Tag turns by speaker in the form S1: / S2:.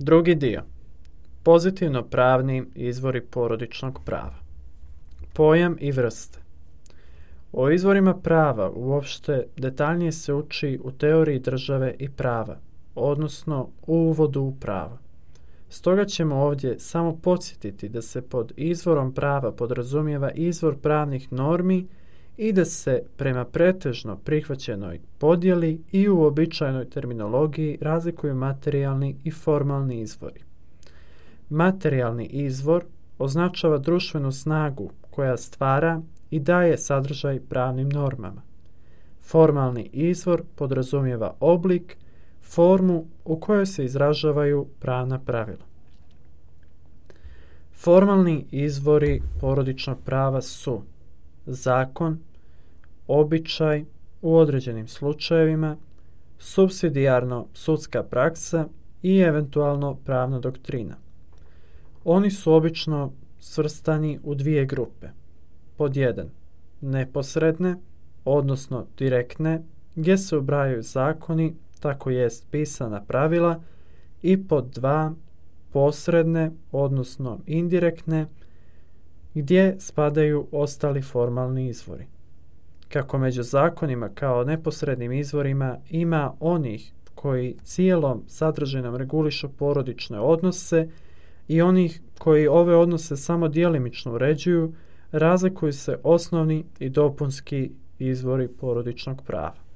S1: Drugi dio. Pozitivno pravni izvori porodičnog prava. Pojam i vrste. O izvorima prava uopšte detaljnije se uči u teoriji države i prava, odnosno u uvodu u pravo. Stoga ćemo ovdje samo podsjetiti da se pod izvorom prava podrazumijeva izvor pravnih normi i da se prema pretežno prihvaćenoj podjeli i u uobičajenoj terminologiji razlikuju materijalni i formalni izvori. Materijalni izvor označava društvenu snagu koja stvara i daje sadržaj pravnim normama. Formalni izvor podrazumijeva oblik, formu u kojoj se izražavaju pravna pravila. Formalni izvori porodičnog prava su zakon, običaj u određenim slučajevima, supsidijarno sudska praksa i eventualno pravna doktrina. Oni su obično svrstani u dvije grupe. Pod 1. Neposredne, odnosno direktne, gdje se ubrajaju zakoni, tako jest pisana pravila, i pod 2. Posredne, odnosno indirektne, gdje spadaju ostali formalni izvori. Kako među zakonima kao neposrednim izvorima ima onih koji cijelom sadržinom regulišu porodične odnose i onih koji ove odnose samo djelimično uređuju, razlikuju se osnovni i dopunski izvori porodičnog prava.